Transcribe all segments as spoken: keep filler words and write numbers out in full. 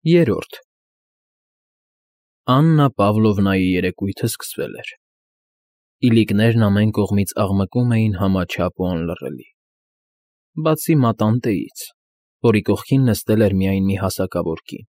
Երրորդ Աննա Պավլովնայի երեկույթը սկսվել էր։ Իլիկներն ամեն կողմից աղմկում էին համաչափ ու անլռելի, բացի մատանտեից, որի կողքին նստել էր միայն մի հասակավոր կին,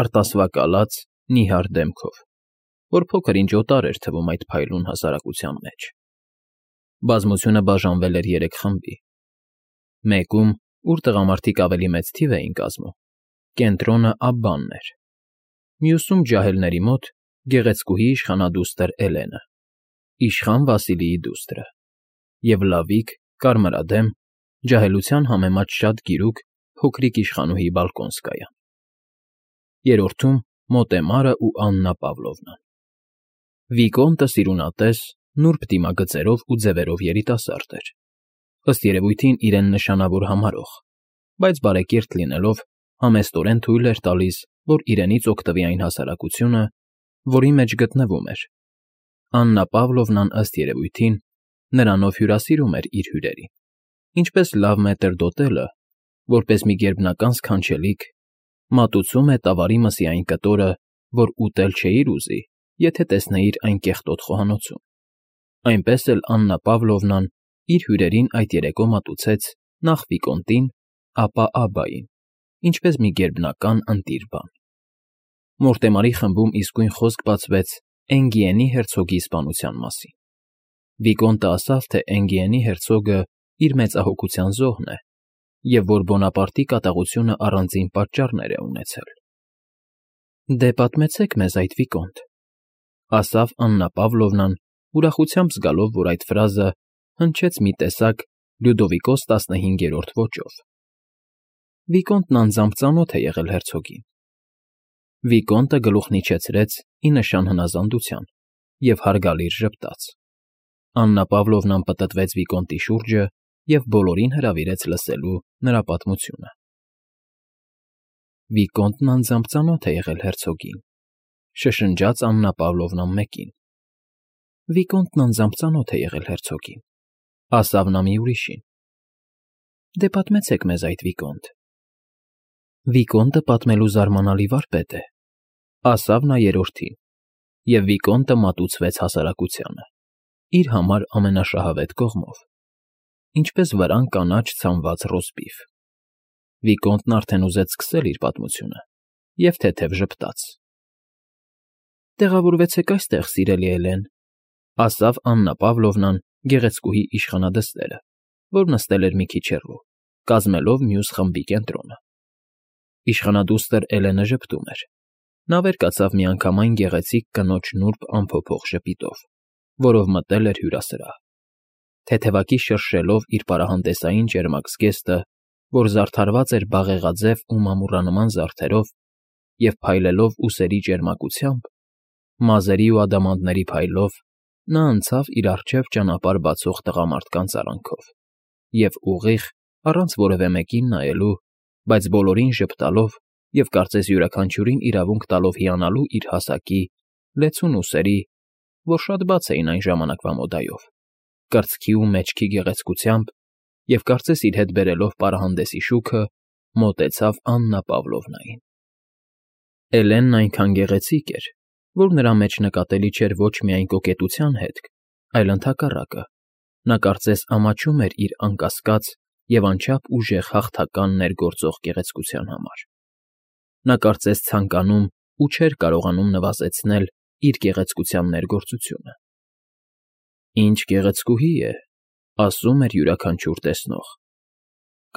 արտասվակալած, նիհար դեմքով, որ փոքր-ինչ օտար էր թվում այդ փայլուն հասարակության մեջ։ Բազմությունը բաժանվել էր երեք խմբի. մեկում, ուր տղամարդիկ ավելի մեծ թիվ էին կազմում, կենտրոնը Աբբանն էր, մյուսում ջահելների մոտ գեղեցկուհի իշխանադուստր Էլենը, իշխան Վասիլիի դուստրը, և լավիկ, կարմրադեմ, ջահելության համեմատ շատ գիրուկ փոքրիկ իշխանուհի Բալկոնսկայան, երրորդում Մոտեմարն ու Աննա Պավլովնան։ Վիկոնտը սիրունատես, նուրբ դիմագծերով ու ձևերով երիտասարդ էր, ըստ երևույթին իրեն նշանավոր համարող, բայց բարեկիրթ լինելով, համեստորեն թույլ էր տալիս, որ իրենից օգտվի այն հասարակությունը, որի մեջ գտնվում էր։ Աննա Պավլովնան, ըստ երևույթին, նրանով հյուրասիրում էր իր հյուրերին, ինչպես լավ մետրդոտելը, որպես մի գերբնական սքանչելիք, մատուցում է տավարի մսի այն կտորը, որ ուտել չէիր ուզի, եթե տեսնեիր այն կեղտոտ խոհանոցում, այնպես էլ Աննա Պավլովնան իր հյուրերին այդ երեկո մատուցեց նախ Վիկոնտին, ապա Աբբային, ինչպես մի գերբնական ընտիր բան։ Մորտեմարի խմբում իսկույն խոսք բացվեց Էնգիենի հերցոգի սպանության մասին։ Վիկոնտը ասավ, թե Էնգիենի հերցոգը իր մեծահոգության զոհն է, և որ Բոնապարտի կատաղությունը առանձին պատճառներ է ունեցել։ Դե պատմեցեք մեզ այդ, Վիկոնտ, ասավ Աննա Պավլովնան, ուրախությամբ զգալով, որ այդ ֆրազը հնչեց մի տեսակ Լյուդովիկոս տասնհինգերորդ ոճով։ Վիկոնտն անձամբ ծանոթ է եղել հերցոգին։ Վիկոնտը գլուխն իջեցրեց ի նշան հնազանդության և հարգալից ժպտաց։ Աննա Պավլովնան պտտվեց Վիկոնտի շուրջը և բոլորին հրավիրեց լսելու նրա պատմությունը։ Վիկոնտն անձամբ ծանոթ է եղել հերցոգին, շշնջաց Աննա Պավլովնան մեկին։ Վիկոնտն անձամբ ծանոթ է եղել հերցոգին, ասավ նա մի ուրիշին։ Դե պատմեցեք մեզ այդ, Վիկոնտ։ Վիկոնտը պատմելու զարմանալի վարպետ է, ասավ նա երրորդին, և Վիկոնտը մատուցվեց հասարակությանը, իր համար ամենաշահավետ կողմով, ինչպես վրան կանաչ ցանված ռոստբիֆ։ Վիկոնտն արդեն ուզեց սկսել իր պատմությունը և թեթև ժպտաց։ Տեղավորվեցեք այստեղ, սիրելի Էլեն, ասավ Աննա Պավլովնան գեղեցկուհի իշխանադստերը, որ նստել էր մի քիչ հեռու, կազմելով մյուս խմբի կենտրոնը։ Իշխանադուստր Էլենը ժպտում էր։ Նա վեր կացավ միանգամայն գեղեցիկ կնոջ նուրբ անփոփոխ ժպիտով, որով մտել էր հյուրասրահ, թեթևակի շրշելով իր պարահանդեսային ճերմակ զգեստը, որ զարդարված էր բաղեղաձև ու մամուռանման զարդերով, և փայլելով ուսերի ճերմակությամբ, մազերի ու ադամանդների փայլով, նա անցավ իր առջև ճանապարհ բացող տղամարդկանց արանքով և ուղիղ, առանց որևէ մեկին նայելու, բայց բոլորին ժպտալով և կարծես յուրաքանչյուրին իրավունք տալով հիանալու իր հասակի, լեցուն ուսերի, որ շատ բաց էին այն ժամանակվա մոդայով, կրծքի ու մեջքի գեղեցկությամբ, և կարծես իր հետ բերելով պարահանդեսի շուքը, մոտեցավ Աննա Պավլովնային։ Էլենն այնքան գեղեցիկ էր, որ նրա մեջ նկատելի չէր ոչ միայն կոկետության հետք, այլ ընդհակառակը, նա կարծես ամաչում էր իր անկասկած և անչափ ուժեղ հաղթական ներգործող գեղեցկության համար։ Նա կարծես ցանկանում ու չէր կարողանում նվազեցնել իր գեղեցկության ներգործությունը։ Ինչ գեղեցկուհի է, ասում էր յուրաքանչյուր տեսնող։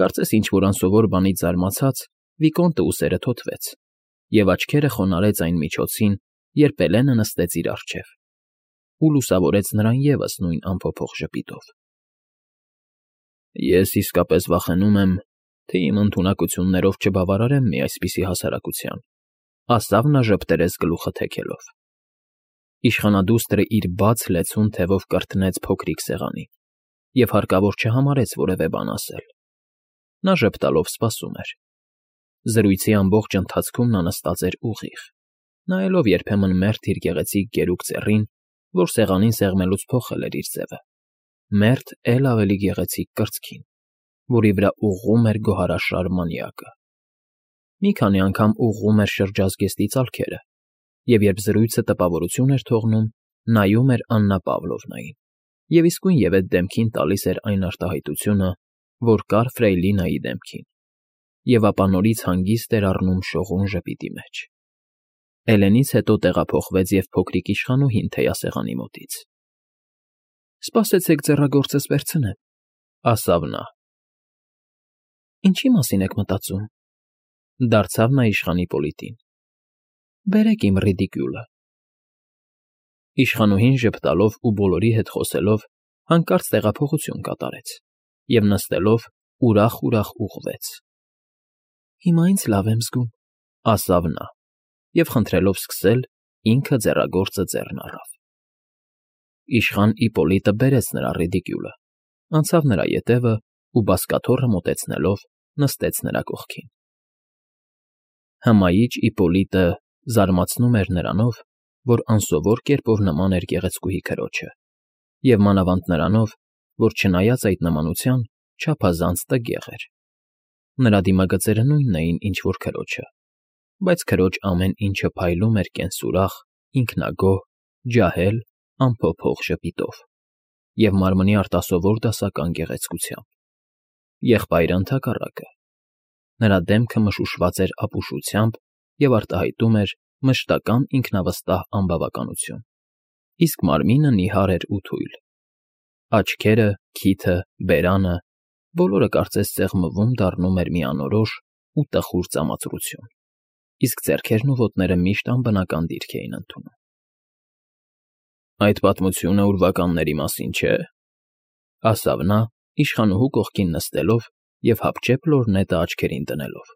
Կարծես ինչ֊որ անսովոր բանից զարմացած Վիկոնտը ուսերը թոթվեց և աչքերը խոնարհեց այն միջոցին, երբ Էլենը նստեց իր առջև ու լուսավորեց նրան ևս նույն անփոփոխ ժպիտով։ Ես իսկապես վախենում եմ, թե իմ ընդունակություններով չբավարարեմ մի այսպիսի հասարակության, ասավ նա ժպտերես գլուխը թեքելով։ Իշխանադուստրը իր բաց լեցուն թևով կրթնեց փոքրիկ սեղանին և հարկավոր չհամարեց որևէ բան ասել։ Նա ժպտալով սպասում էր։ Զրույցի ամբողջ ընթացքում նա նստած էր ուղիղ, նայելով երբեմն մերթ իր գեղեցիկ գերուկ ծառին, որ սեղանին սեղմելուց փոխել էր իր ձևը, մերթ էլ ավելի գեղեցիկ կրծքին, որի վրա ուղղում էր գոհարաշար մանյակը։ Մի քանի անգամ ուղղում էր շրջազգեստի ծալքերը և, երբ զրույցը տպավորություն էր թողնում, նայում էր Աննա Պավլովնային և իսկույնևեթ դեմքին տալիս էր այն արտահայտությունը, որ կար Ֆրեյլինայի դեմքին, և ապա նորից հանգիստ էր առնում շողուն ժպիտի մեջ։ Էլենից հետո տեղափոխվեց և փոքրիկ իշխանուհին թեյասեղանի մոտից։ ֊ Սպասեցեք ձեռագործս վերցնեմ,֊ ասավ նա։ ֊ Ինչի՞ մասին եք մտածում,֊ դարձավ նա իշխանի Պոլիտին։ ֊ Բերեք իմ ռիդիկյուլը։ Իշխանուհին ժպտալով ու բոլորի հետ խոսելով հանկարծ տեղափոխություն կատարեց և, նստելով, ուրախ֊ուրախ ուղղվեց։ ֊ Հիմա ինձ լավ եմ զգում,֊ ասավ նա և, խնդրելով սկսել, ինքը ձեռագործը ձեռն առավ։ Իշխան Իպպոլիտը բերեց նրա ռիդիկյուլը, անցավ նրա ետևը ու, բազկաթոռը մոտեցնելով, նստեց նրա կողքին։ Հմայիչ Իպպոլիտը զարմացնում էր նրանով, որ անսովոր կերպով նման էր գեղեցկուհի քրոջը, և մանավանդ նրանով, որ, չնայած այդ նմանության, չափազանց տգեղ էր։ Նրա դիմագծերը նույնն էին, ինչ որ քրոջը, բայց քրոջ ամեն ինչը փայլում էր կենսուրախ, ինքնագոհ, ջահել, անփոփոխ ժպիտով և մարմնի արտասովոր դասական գեղեցկությամբ։ Եղբայրը, ընդհակառակը, նրա դեմքը մշուշված էր ապուշությամբ և արտահայտում էր մշտական ինքնավստահ անբավականություն, իսկ մարմինը նիհար էր ու թույլ։ Աչքերը, քիթը, բերանը՝ բոլորը կարծես սեղմվում դառնում էր մի անորոշ ու տխուր ծամածրություն, իսկ ձեռքերն ու ոտները միշտ անբնական դիրք էին ընդունում։ ֊ Այդ պատմությունը ուրվականների մասին չէ՞,֊ ասավ նա, իշխանուհու կողքին նստելով և հապճեպ լորնետը աչքերին դնելով,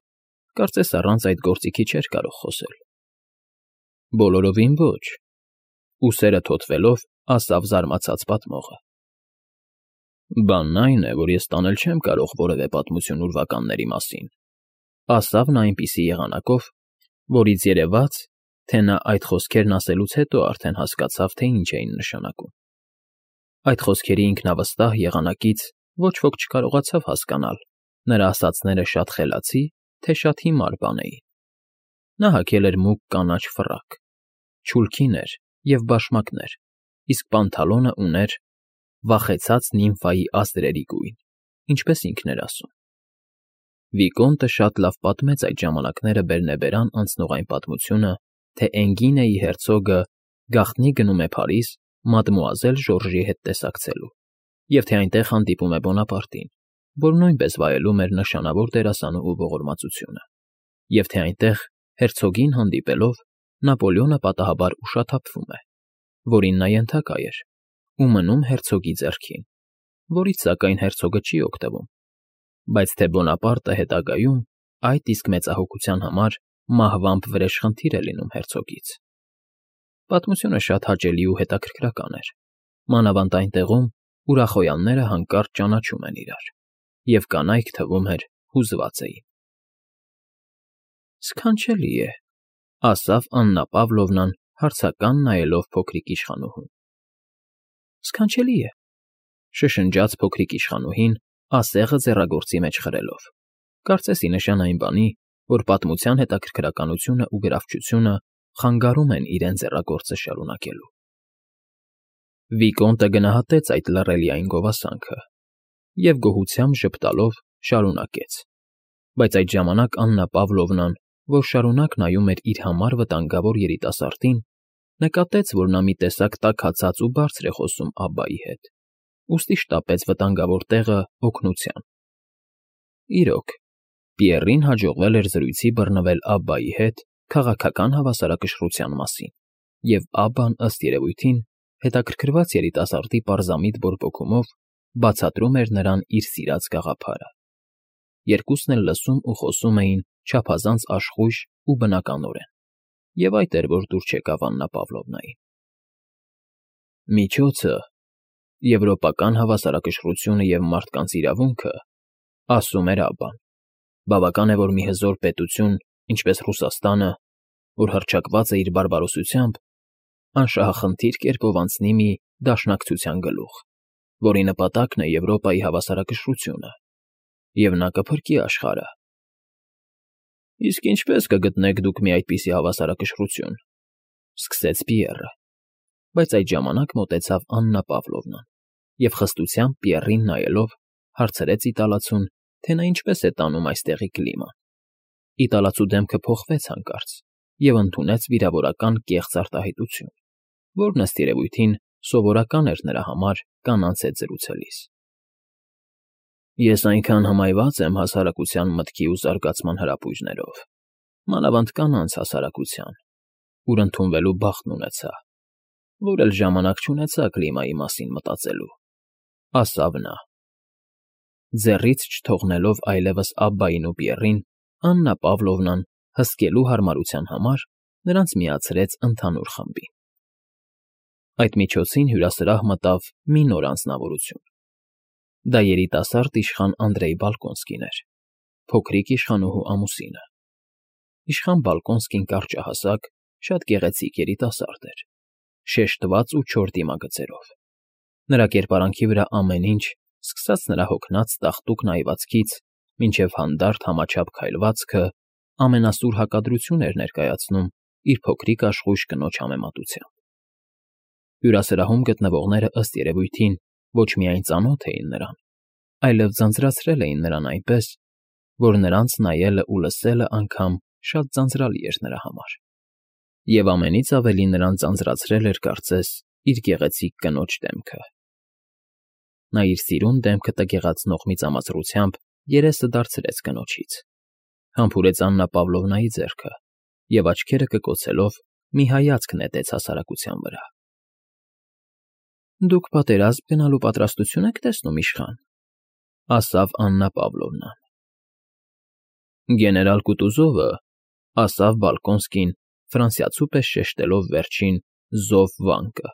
կարծես առանց այդ գործիքի չէր կարող խոսել։ ֊ Բոլորովին ոչ,֊ ուսերը թոթվելով ասավ զարմացած պատմողը։ ֊ Բանն այն է, որ ես տանել չեմ կարող որևէ պատմություն ուրվականների մասին,֊ ասավ նա այնպիսի եղանակով, որից երևաց, թե նա այդ խոսքերն ասելուց հետո արդեն հասկացավ, թե ինչ էին նշանակում։ Այդ խոսքերի ինքնավստահ եղանակից ոչ ոք չկարողացավ հասկանալ՝ նրա ասածները շատ խելացի, թե շատ հիմար բան էին։ Նա հագել էր մուգ կանաչ ֆռակ, չուլքին էր և բաշմակներ, իսկ պանթալոնը ուներ վախեցած նիմֆայի ազդրերի գույն, ինչպես ինքն էր ասում։ Վիկոնտը շատ լավ պատմեց այդ ժամանակները բերնեբերան անցնող այն պատմությունը, թե Էնգինեի հերցոգը գաղտնի գնում է Փարիզ մադմուազել Ժորժի հետ տեսակցելու, և թե այնտեղ հանդիպում է Բոնապարտին, որ նույնպես վայելում էր նշանավոր դերասանուհու ողորմածությունը, և թե այնտեղ, հերցոգին հանդիպելով, Նապոլեոնը պատահաբար ուշաթափվում է, որին նա ենթակա էր, ու մնում հերցոգի ձեռքին, որից, սակայն, հերցոգը չի օգտվում, բայց թե Բոնապարտը հետագայում այդ իսկ մեծահոգության համար մահվամբ վրեժխնդիր է լինում հերցոգից։ Պատմությունը շատ հաճելի ու հետաքրքրական էր, մանավանդ այն տեղում, ուր ախոյանները հանկարծ ճանաչում են իրար, և կանայք, թվում էր, հուզված էին։ ֊ Սքանչելի է,֊ ասավ Աննա Պավլովնան, հարցական նայելով փոքրիկ իշխանուհուն։ ֊ Սքանչելի է,֊ շշնջաց փոքրիկ իշխանուհին, ասեղը ձեռագործի մեջ խրելով, կարծես ի նշան այն բանի, որ պատմության հետաքրքրականությունն ու գրավչությունը խանգարում են իրեն ձեռագործը շարունակելու։ Վիկոնտը գնահատեց այդ լռելիային գովասանքը և, գոհությամբ ժպտալով, շարունակեց, բայց այդ ժամանակ Աննա Պավլովնան, որ շարունակ նայում էր իր համար վտանգավոր երիտասարդին, նկատեց, որ նա մի տեսակ տաքացած ու բարձր է խոսում Աբբայի հետ, ուստի շտապեց վտանգավոր տեղը օգնության։ Իրոք, Պիեռին հաջողվել էր զրույցի բռնվել Աբբայի հետ քաղաքական հավասարակշռության մասին, և Աբբան, ըստ երևույթին, հետաքրքրված երիտասարդի պարզամիտ բորբոքումով, բացատրում էր նրան իր սիրած գաղափարը։ Երկուսն էլ լսում ու խոսում էին չափազանց աշխույժ ու բնականորեն, և այդ էր, որ դուր չեկավ Աննա Պավլովնային։ «Միջոցը, եվրոպական հավասարակշռությունը և մարդկանց իրավունքը,֊ ասում էր Աբբան,֊ բավական է, որ մի հզոր պետություն, ինչպես Ռուսաստանը, որ հռչակված է իր բարբարոսությամբ, անշահախնդիր կերպով անցնի մի դաշնակցության գլուխ, որի նպատակն է Եվրոպայի հավասարակշռությունը, և նա կփրկի աշխարհը։ Իսկ ինչպե՞ս կգտնեք դուք մի այդպիսի հավասարակշռություն,֊ սկսեց Պիեռը, բայց այդ ժամանակ մոտեցավ Աննա Պավլովնան և խստությամբ Պիեռին նայելով հարցրեց իտալացուն, թե նա ինչպես է տանում այստեղի կլիման։ Իտալացու դեմքը փոխվեց հանկարծ և ընդունեց վիրավորական կեղծ արտահայտություն, որն ըստ երևույթին սովորական էր նրա համար կանանց հետ զրուցելիս։ Ես այնքան հմայված եմ հասարակության մտքի ու զարգացման հրապույրներով, մանավանդ կանանց հասարակության, ուր ընդունվելու բախտն ունեցա, որ էլ ժամանակ չունեցա կլիմայի մասին մտածելու,֊ ասավ նա։ Ձեռից չթողնելով այլևս Աբբային ու Պիեռին, Աննա Պավլովնան, հսկելու հարմարության համար, նրանց միացրեց ընդհանուր խմբին։ Այդ միջոցին հյուրասրահ մտավ մի նոր անձնավորություն։ Դա երիտասարդ իշխան Անդրեյ Բալկոնսկին էր, փոքրիկ իշխանուհու ամուսինը։ Իշխան Բալկոնսկին կարճահասակ, շատ գեղեցիկ երիտասարդ էր, շեշտված ու չոր դիմագծերով։ Նրա կերպարանքի վրա ամեն ինչ, սկսած նրա հոգնած տաղտուկ նայվածքից մինչև հանդարտ համաչափ քայլվածքը, ամենասուր հակադրություն էր ներկայացնում իր փոքրիկ աշխույժ կնոջ համեմատությամբ։ Հյուրասրահում գտնվողները ըստ երևույթին ոչ միայն ծանոթ էին նրան, այլև ձանձրացրել էին նրան այնպես, որ նրանց նայելն ու լսելն անգամ շատ ձանձրալի էր նրա համար։ Եվ ամենից ավելի նրան ձանձրացրել էր, կարծես, իր գեղեցիկ կնոջ դեմքը։ Նա իր սիրուն դեմքը տգեղացնող մի ծամացրությամբ երեսը դարձրեց կնոջից, համբուրեց Աննա Պավլովնայի ձեռքը և աչքերը կկոցելով մի հայացք նետեց հասարակության վրա։ Դուք պատերազմ գնալու պատրաստություն եք տեսնում, իշխան,֊ ասավ Աննա Պավլովնան։ Գեներալ Կուտուզովը,֊ ասավ Բալկոնսկին, ֆրանսիացու պես շեշտելով վերջին զով վանկը,֊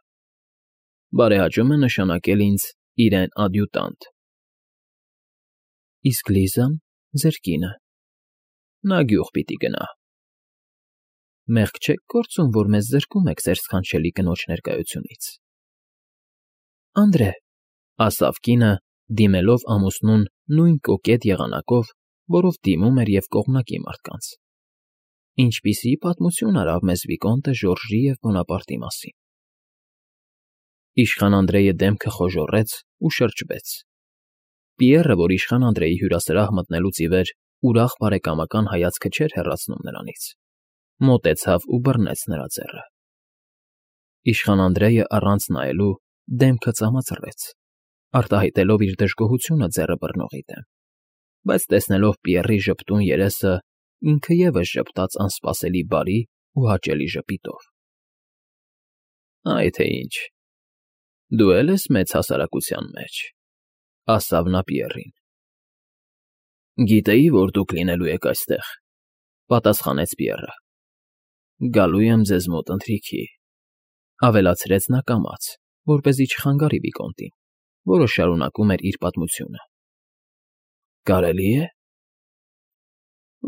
բարեհաճում է նշանակել ինձ իրեն ադյուտանտ։ Իսկ Լիզան, ձեր կինը, նա գյուղ պիտի գնա։ Մեղք չեք գործում, որ մեզ զրկում եք ձեր սքանչելի կնոջ ներկայությունից։ Անդրե,֊ ասավ կինը, դիմելով ամուսնուն նույն կոկետ եղանակով, որով դիմում էր և կողմնակի մարդկանց։ Ինչպիսի պատմություն արավ մեզ Վիկոնտը Ժորժի և Բոնապարտի մասին։ Իշխան Անդրեյը դեմքը խոժոռեց ու շրջվեց։ Պիեռը, որ իշխան Անդրեյի հյուրասրահ մտնելուց ի վեր ուրախ բարեկամական հայացքը չէր հեռացնում նրանից, մոտեցավ ու բռնեց նրա ձեռքը։ Իշխան Անդրեյը առանց նայելու դեմքը ծամացրեց, արտահայտելով իր դժգոհությունը ձեռը բռնողի դեմ, բայց տեսնելով Պիեռի ժպտուն երեսը, ինքը ևս ժպտաց անսպասելի բարի ու հաճելի ժպիտով։ Այ թե ինչ, դու էլ ես մեծ հասարակության մեջ,֊ ասավ նա Պիեռին։ Գիտեի, որ դուք լինելու եք այստեղ,֊ պատասխանեց Պիեռը։ Գալու եմ ձեզ մոտ ընթրիքի,֊ ավելացրեց նա կամաց, որպեսզի չխանգարի Վիկոնտին, որը շարունակում էր իր պատմությունը։ Կարելի է։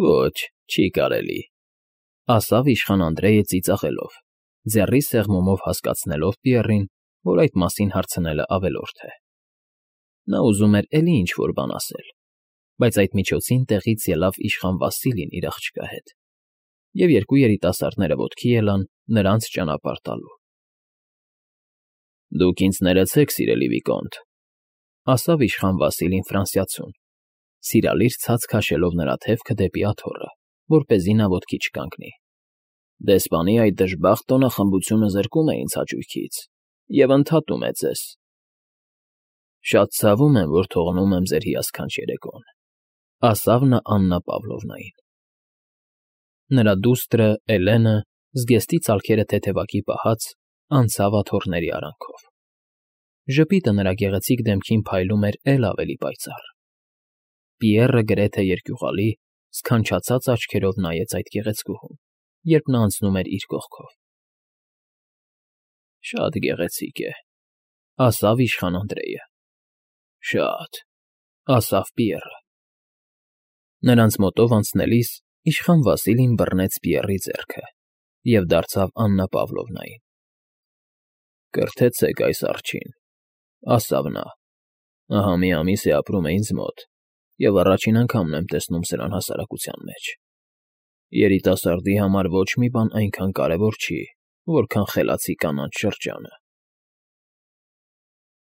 Ոչ, չի կարելի,֊ ասավ իշխան Անդրեյը ծիծաղելով, ձեռի սեղմումով հասկացնելով Պիեռին, որ այդ մասին հարցնելն ավելորդ է։ Նա ուզում էր էլի ինչ֊որ բան ասել, բայց այդ միջոցին տեղից ելավ իշխան Վասիլին իր աղջկա հետ, և երկու երիտասարդները ոտքի ելան նրանց ճանապարհ տալու։ Դուք ինձ ներեցեք, սիրելի Վիկոնտ,֊ ասավ իշխան Վասիլին ֆրանսիացուն, սիրալիր ցած քաշելով նրա թևքը դեպի աթոռը, որպեսզի նա ոտքի չկանգնի։ Դեսպանի այդ դժբախտ տոնախմբությունը զրկում է ինձ հաճույքից և ընդհատում է ձեզ։ Շատ ցավում եմ, որ թողնում եմ ձեր հիասքանչ երեկոն,֊ ասավ նա Աննա Պավլովնային։ Նրա դուստրը՝ Էլենը, զգեստի ցալքերը թեթևակի պահած, անցավ աթոռների արանքով։ Ժպիտը նրա գեղեցիկ դեմքին փայլում էր էլ ավելի պայծառ։ Պիեռը գրեթե երկյուղալի, սքանչացած աչքերով նայեց այդ գեղեցկուհուն, երբ նա անցնում էր իր կողքով։ Շատ գեղեցիկ է,֊ ասավ իշխան Անդրեյը։ Շատ,֊ ասավ Պիեռը։ Նրանց մոտով անցնելիս իշխան Վասիլին բռնեց Պիեռի ձեռքը և դարձավ Աննա Պավլովնային։ Կրթեցեք այս արջին,֊ ասավ նա։ Ահա մի ամիս է ապրում է ինձ մոտ, և առաջին անգամն եմ տեսնում սրան հասարակության մեջ։ Երիտասարդի համար ոչ մի բան այնքան կարևոր չի, որքան խելացի կանանց շրջանը։